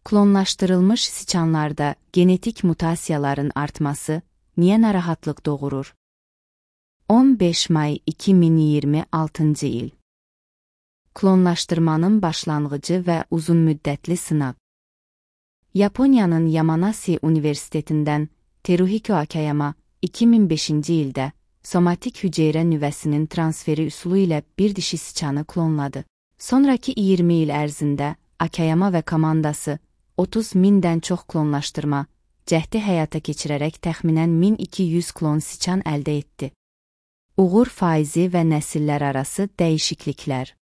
Klonlaşdırılmış siçanlarda genetik mutasiyaların artması niyə narahatlıq doğurur? 15 may 2026 il. Klonlaşdırmanın başlanğıcı və uzunmüddətli sınaq. Yaponiyanın Yamanasi Universitetindən Teruhiko Akayama 2005-ci ildə somatik hüceyrə nüvəsinin transferi üsulu ilə bir dişi siçanı klonladı. Sonraki 20 il ərzində Akayama və komandası 30 mindən çox klonlaşdırma cəhdi həyata keçirərək təxminən 1200 klon siçan əldə etdi. Uğur faizi və nəsillər arası dəyişikliklər.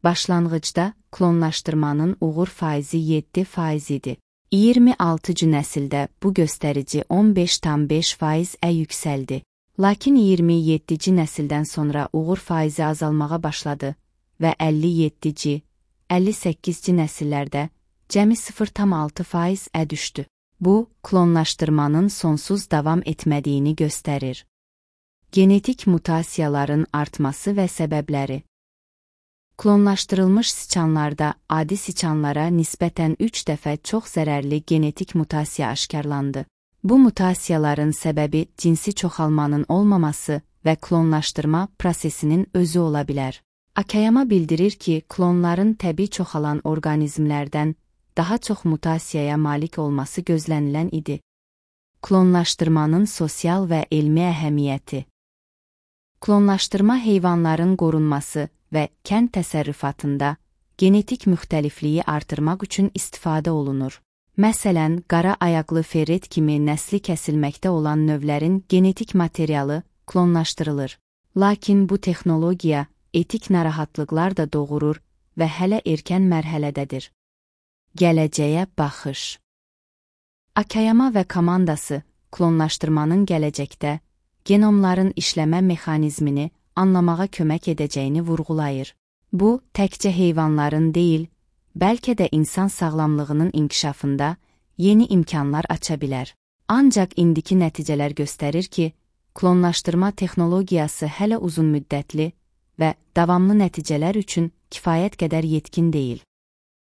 Başlanğıcda klonlaşdırmanın uğur faizi 7% idi. 26-cı nəsildə bu göstərici 15,5%-ə yüksəldi. Lakin 27-ci nəsildən sonra uğur faizi azalmağa başladı və 57-ci, 58-ci nəsillərdə cəmi 0,6%-ə düşdü. Bu, klonlaşdırmanın sonsuz davam etmədiyini göstərir. Genetik mutasiyaların artması və səbəbləri. Klonlaşdırılmış siçanlarda adi siçanlara nisbətən 3 dəfə çox zərərli genetik mutasiya aşkarlandı. Bu mutasiyaların səbəbi cinsi çoxalmanın olmaması və klonlaşdırma prosesinin özü ola bilər. Akayama bildirir ki, klonların təbii çoxalan orqanizmlərdən daha çox mutasiyaya malik olması gözlənilən idi. Klonlaşdırmanın sosial və elmi əhəmiyyəti. Klonlaşdırma heyvanların qorunması və kənd təsərrüfatında genetik müxtəlifliyi artırmaq üçün istifadə olunur. Məsələn, qara ayaqlı ferret kimi nəsli kəsilməkdə olan növlərin genetik materialı klonlaşdırılır. Lakin bu texnologiya etik narahatlıqlar da doğurur və hələ erkən mərhələdədir. Gələcəyə baxış. Akayama və komandası klonlaşdırmanın gələcəkdə genomların işləmə mexanizmini anlamağa kömək edəcəyini vurğulayır. Bu, təkcə heyvanların deyil, bəlkə də insan sağlamlığının inkişafında yeni imkanlar aça bilər. Ancaq indiki nəticələr göstərir ki, klonlaşdırma texnologiyası hələ uzunmüddətli və davamlı nəticələr üçün kifayət qədər yetkin deyil.